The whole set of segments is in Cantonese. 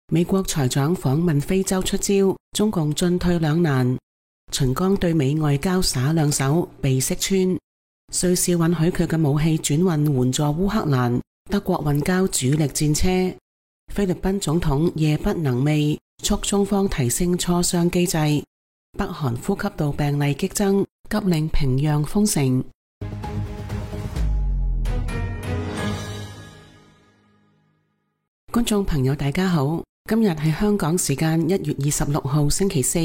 美國財長訪問非洲出招，中共進退兩難。秦剛對美外交耍兩手，被識穿。瑞士允許佢嘅武器轉運援助烏克蘭，德國運交主力戰車。菲律賓總統夜不能寐，促中方提升磋商機制。北韓呼吸道病例激增，急令平壤封城。觀眾朋友大家好，今日係香港時間1月26號星期四，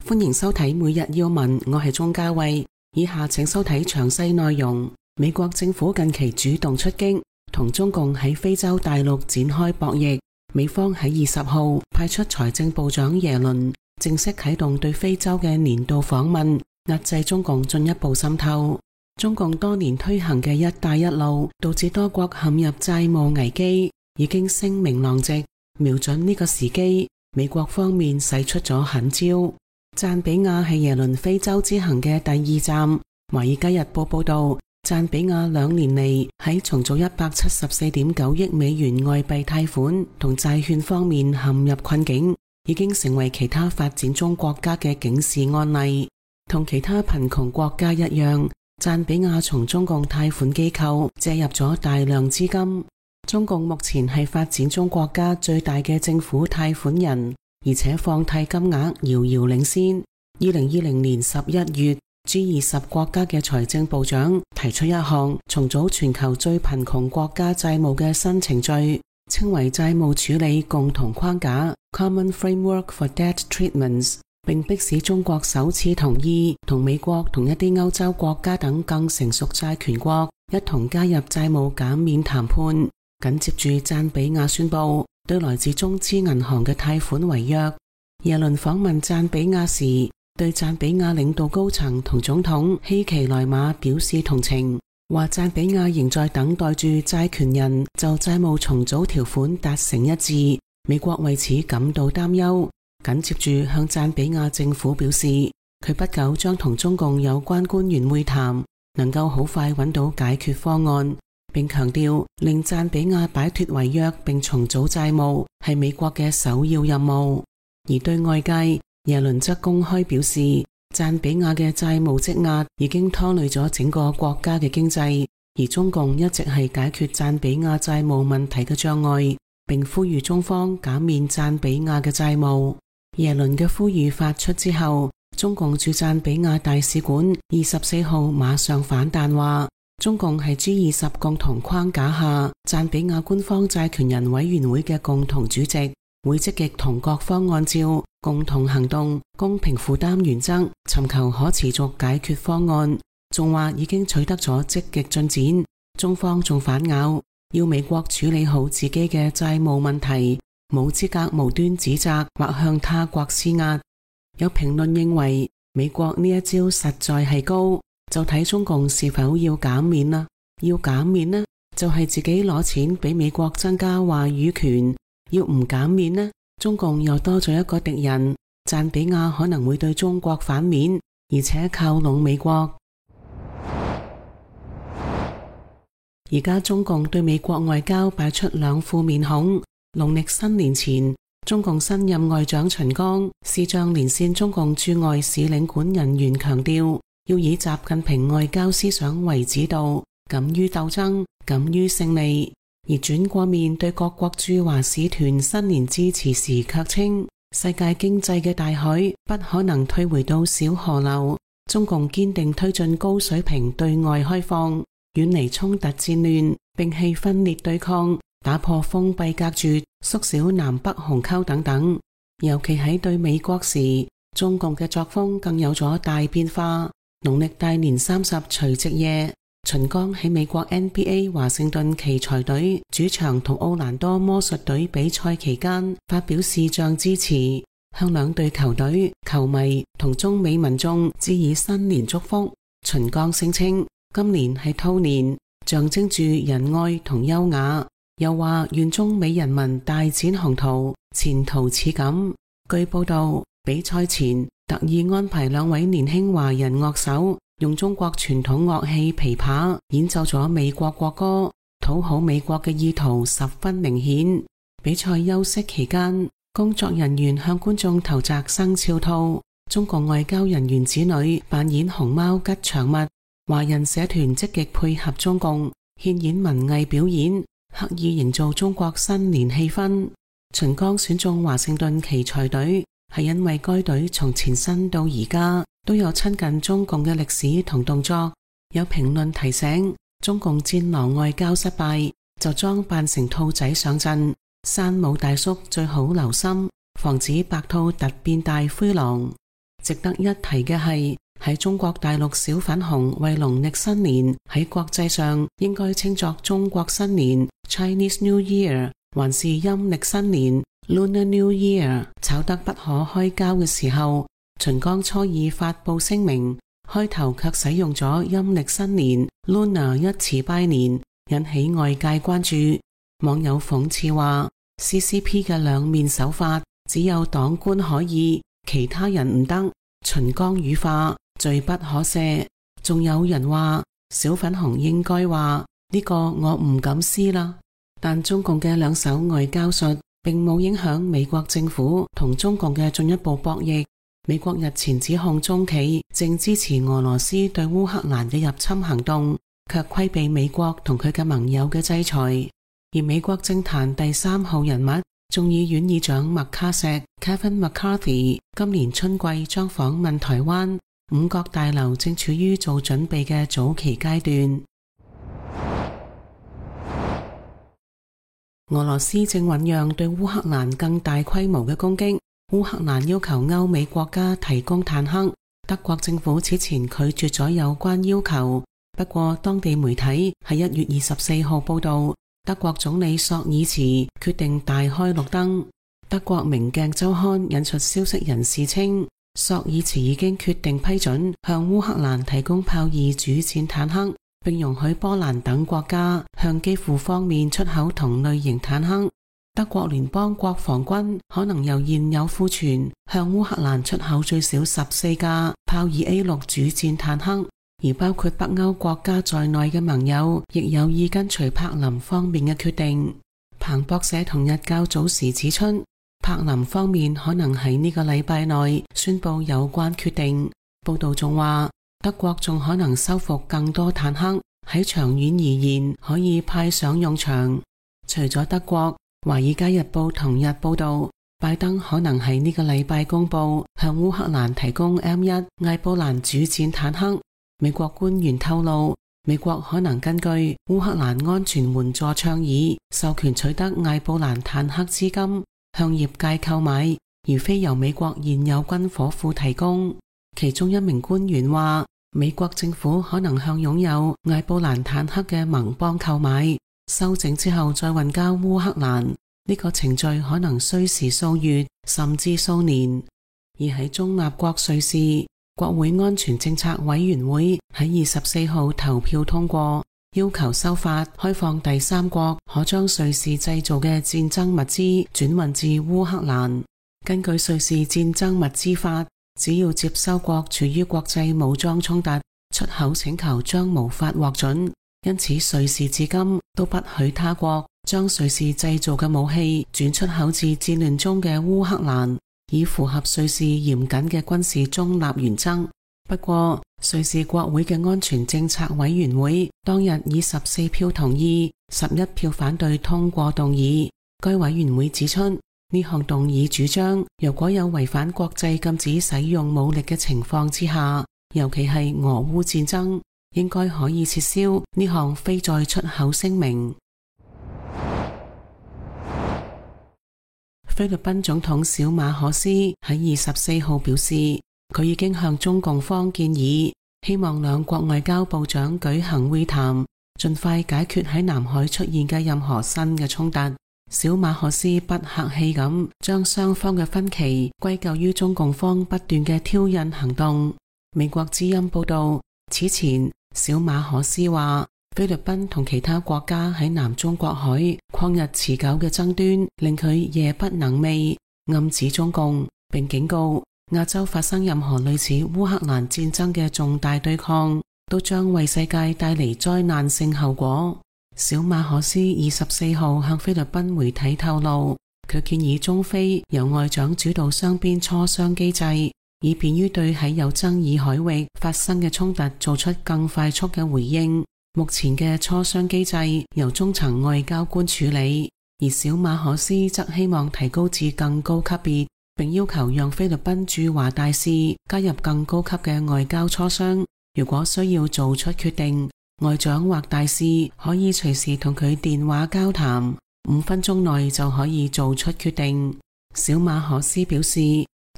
歡迎收睇每日要聞，我係鍾嘉慧。以下請收睇詳細內容。美國政府近期主動出擊，同中共喺非洲大陸展開博弈。美方喺20號派出財政部長耶倫，正式啟動對非洲嘅年度訪問，壓制中共進一步滲透。中共多年推行嘅一帶一路，導致多國陷入債務危機，已經聲名狼藉。瞄準呢個時機，美國方面使出咗狠招。贊比亞係耶倫非洲之行嘅第2站。華爾街日報報道，贊比亞2年嚟喺重組174.9億美元外幣貸款同債券方面陷入困境，已經成為其他發展中國家嘅警示案例。同其他貧窮國家一樣，贊比亞從中共貸款機構借入咗大量資金。中共目前係發展中國家最大嘅政府貸款人，而且放貸金額遙遙領先。2020年11月，G20 國家嘅財政部長提出一項重組全球最貧窮國家債務嘅新程序，稱為債務處理共同框架 Common Framework for Debt Treatments， 並迫使中國首次同意同美國同一啲歐洲國家等更成熟債權國一同加入債務減免談判。緊接住，贊比亞宣布對來自中資銀行嘅貸款違約。耶倫訪問贊比亞時，對贊比亞領導高層同總統希奇萊馬表示同情，話贊比亞仍在等待住債權人就債務重組條款達成一致，美國為此感到擔憂。緊接住向贊比亞政府表示，佢不久將同中共有關官員會談，能夠好快揾到解決方案。並強調令贊比亞擺脫違約並重組債務係美國嘅首要任務。而對外界，耶倫則公開表示，贊比亞嘅債務積壓已經拖累咗整個國家嘅經濟，而中共一直係解決贊比亞債務問題嘅障礙，並呼籲中方減免贊比亞嘅債務。耶倫嘅呼籲發出之後，中共駐贊比亞大使館24號馬上反彈話，中共係 G20 共同框架下贊比亞官方債權人委員會嘅共同主席，會積極同各方按照共同行動、公平負擔原則尋求可持續解決方案。仲話已經取得咗積極進展。中方仲反咬，要美國處理好自己嘅債務問題，冇資格無端指責或向他國施壓。有評論認為，美國呢一招實在係高，就睇中共是否要減免啦。要減免呢，就係自己攞錢俾美國增加話語權；要唔減免呢，中共又多咗一個敵人，贊比亞可能會對中國反面，而且靠攏美國。而家中共對美國外交擺出兩副面孔。農曆新年前，中共新任外長秦剛視像連線中共駐外使領館人員，強調要以習近平外交思想為指導，敢於鬥爭，敢於勝利。而轉過面對各國駐華使團新年致辭時卻稱，世界經濟嘅大海不可能退回到小河流，中共堅定推進高水平對外開放，遠離衝突戰亂，摒棄分裂對抗，打破封閉隔絕，縮小南北鴻溝等等。尤其喺對美國時，中共嘅作風更有咗大變化。農曆大年30除夕夜，秦剛喺美國 NBA 華盛頓奇才隊主場同奧蘭多魔術隊比賽期間發表視像致辭，向兩隊球隊、球迷同中美民眾致以新年祝福。秦剛聲稱今年係兔年，象徵住仁愛同優雅，又話願中美人民大展宏圖，前途似錦。據報道，比賽前特意安排兩位年輕華人樂手用中國傳統樂器琵琶演奏咗美國國歌，討好美國嘅意圖十分明顯。比賽休息期間，工作人員向觀眾投擲生肖套，中共外交人員子女扮演熊貓吉祥物，華人社團積極配合中共，獻演文藝表演，刻意營造中國新年氣氛。秦剛選中華盛頓奇才隊，係因為該隊從前身到而家都有親近中共嘅歷史同動作。有評論提醒，中共戰狼外交失敗，就裝扮成兔仔上陣。山姆大叔最好留心，防止白兔突變大灰狼。值得一提嘅係，喺中國大陸小粉紅為農曆新年喺國際上應該稱作中國新年 Chinese New Year 還是陰曆新年 Lunar New Year 吵得不可開交嘅時候，秦剛初二發佈聲明，開頭卻使用咗陰曆新年 Lunar 一詞拜年，引起外界關注。網友諷刺話 CCP 嘅兩面手法，只有黨官可以，其他人唔得，秦剛語化，罪不可赦。仲有人話小粉紅應該話呢個我唔敢撕啦。但中共嘅兩手外交術並冇影響美國政府同中共嘅進一步博弈。美國日前指控中企正支持俄羅斯對烏克蘭嘅入侵行動，卻規避美國同佢嘅盟友嘅制裁。而美國政壇第3號人物眾議院議長麥卡錫 Kevin McCarthy 今年春季將訪問台灣，五角大樓正處於做準備嘅早期階段。俄羅斯正醞釀對烏克蘭更大規模嘅攻擊，烏克蘭要求歐美國家提供坦克，德國政府此前拒絕咗有關要求。不過當地媒體喺1月24號報道，德國總理朔爾茨決定大開綠燈。德國明鏡週刊引述消息人士稱，朔爾茨已經決定批准向烏克蘭提供豹2主戰坦克，並容許波蘭等國家向基輔方面出口同類型坦克。德國聯邦國防軍可能由現有庫存向烏克蘭出口最少14架豹2 A6 主戰坦克。而包括北歐國家在內嘅盟友亦有意跟隨柏林方面嘅決定。彭博社同日較早時指出，柏林方面可能喺呢個禮拜內宣布有關決定。報道仲話，德國仲可能收復更多坦克，喺長遠而言可以派上用場。除咗德國，華爾街日報同日報道，拜登可能喺呢個禮拜公布向烏克蘭提供 M1 艾布蘭主戰坦克。美國官員透露，美國可能根據烏克蘭安全援助倡議，授權取得艾布蘭坦克資金，向業界購買，而非由美國現有軍火庫提供。其中一名官員話，美國政府可能向擁有艾布蘭坦克嘅盟邦購買，修整之後再運交烏克蘭。呢個程序可能需時數月，甚至數年。而喺中立國瑞士，國會安全政策委員會喺24號投票通過，要求修法開放第三國可將瑞士製造嘅戰爭物資轉運至烏克蘭。根據瑞士戰爭物資法，只要接收國處於國際武裝衝突，出口請求將無法獲准。因此瑞士至今都不許他國將瑞士製造嘅武器轉出口至戰亂中嘅烏克蘭，以符合瑞士嚴謹嘅軍事中立原則。不過，瑞士國會嘅安全政策委員會當日以14票同意、11票反對通過動議。該委員會指出，呢項動議主張，如果有違反國際禁止使用武力嘅情況之下，尤其係俄烏戰爭，應該可以撤銷呢項非再出口聲明。菲律賓總統小馬可斯喺24號表示，佢已經向中共方建議，希望兩國外交部長舉行會談，盡快解決喺南海出現嘅任何新嘅衝突。小馬可斯不客氣咁將雙方嘅分歧歸咎於中共方不斷嘅挑釁行動。美國之音報道，此前小馬可斯話，菲律賓同其他國家喺南中國海曠日持久嘅爭端令佢夜不能寐，暗指中共，並警告亞洲發生任何類似烏克蘭戰爭嘅重大對抗，都將為世界帶嚟災難性後果。小馬可斯24號向菲律賓媒體透露，佢建議中非由外長主導雙邊磋商機制，以便於對喺有爭議海域發生嘅衝突做出更快速嘅回應。目前嘅磋商機制由中層外交官處理，而小馬可斯則希望提高至更高級別，並要求讓菲律賓駐華大使加入更高級嘅外交磋商。如果需要做出決定，外長或大使可以隨時同佢電話交談，5分鐘內就可以做出決定。小馬可斯表示，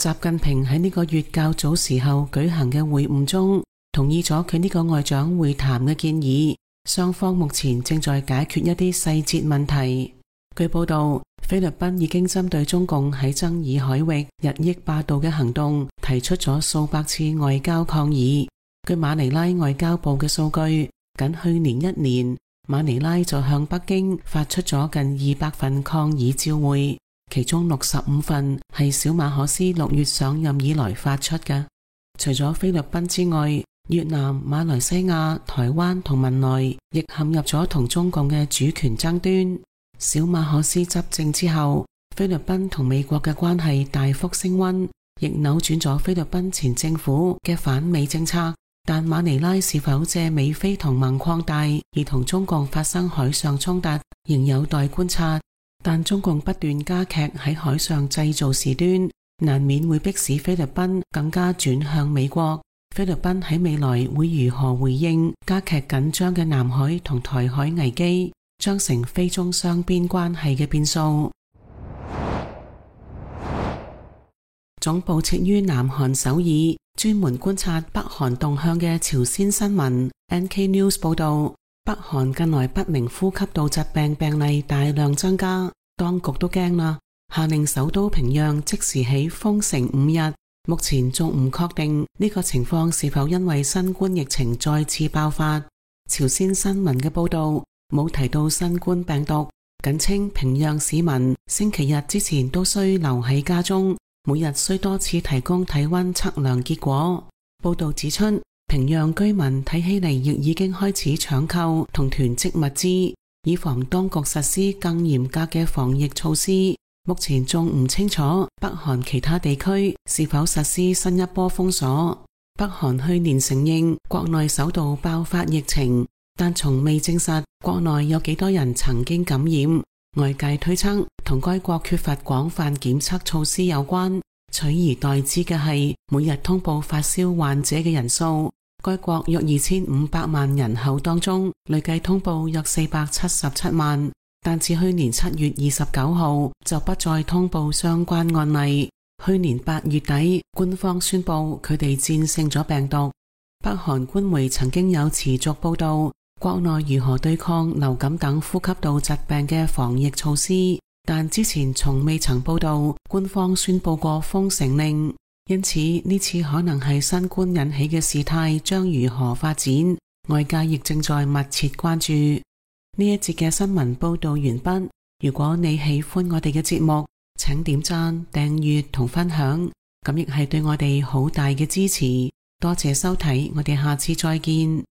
習近平喺呢個月較早時候舉行嘅會晤中，同意咗佢呢個外長會談嘅建議，雙方目前正在解決一啲細節問題。據報道，菲律賓已經針對中共喺爭議海域日益霸道嘅行動提出咗數百次外交抗議。據馬尼拉外交部嘅數據，僅去年1年，馬尼拉就向北京發出咗近200份抗議照會，其中65份係小馬可斯6月上任以來發出嘅。除咗菲律賓之外，越南、馬來西亞、台灣同文萊亦陷入咗同中共嘅主權爭端。小馬可斯執政之後，菲律賓同美國嘅關係大幅升溫，亦扭轉咗菲律賓前政府嘅反美政策。但馬尼拉是否借美菲同盟擴大而同中共發生海上衝突，仍有待觀察。但中共不斷加劇喺海上製造事端，難免會迫使菲律賓更加轉向美國。菲律賓喺未來會如何回應加劇緊張嘅南海同台海危機，將成菲中雙邊關係嘅變數。總部設於南韓首爾，專門觀察北韓動向嘅朝鮮新聞 NK News 報道，北韓近來不明呼吸道疾病病例大量增加，當局都驚啦，下令首都平壤即時起封城5日。目前仲唔確定呢個情況是否因為新冠疫情再次爆發。朝鮮新聞嘅報道冇提到新冠病毒，僅稱平壤市民星期日之前都需留喺家中，每日需多次提供體溫測量結果。報道指出，平壤居民睇起嚟亦已經開始搶購同囤積物資，以防當局實施更嚴格嘅防疫措施。目前仲唔清楚北韓其他地區是否實施新一波封鎖。北韓去年承認國內首度爆發疫情，但從未證實國內有幾多人曾經感染。外界推測同該國缺乏廣泛檢測措施有關，取而代之嘅係每日通報發燒患者嘅人數。該國約2500萬人口當中，累計通報約477萬。但自去年7月29號就不再通報相關案例。去年8月底，官方宣布佢哋戰勝咗病毒。北韓官媒曾經有持續報道國內如何對抗流感等呼吸道疾病嘅防疫措施，但之前從未曾報道官方宣布過封城令。因此呢次可能係新冠引起嘅事態將如何發展，外界亦正在密切關注。呢一節嘅新聞報道完畢。如果你喜歡我哋嘅節目，請點讚、訂閱同分享，咁亦係對我哋好大嘅支持。多謝收睇，我哋下次再見。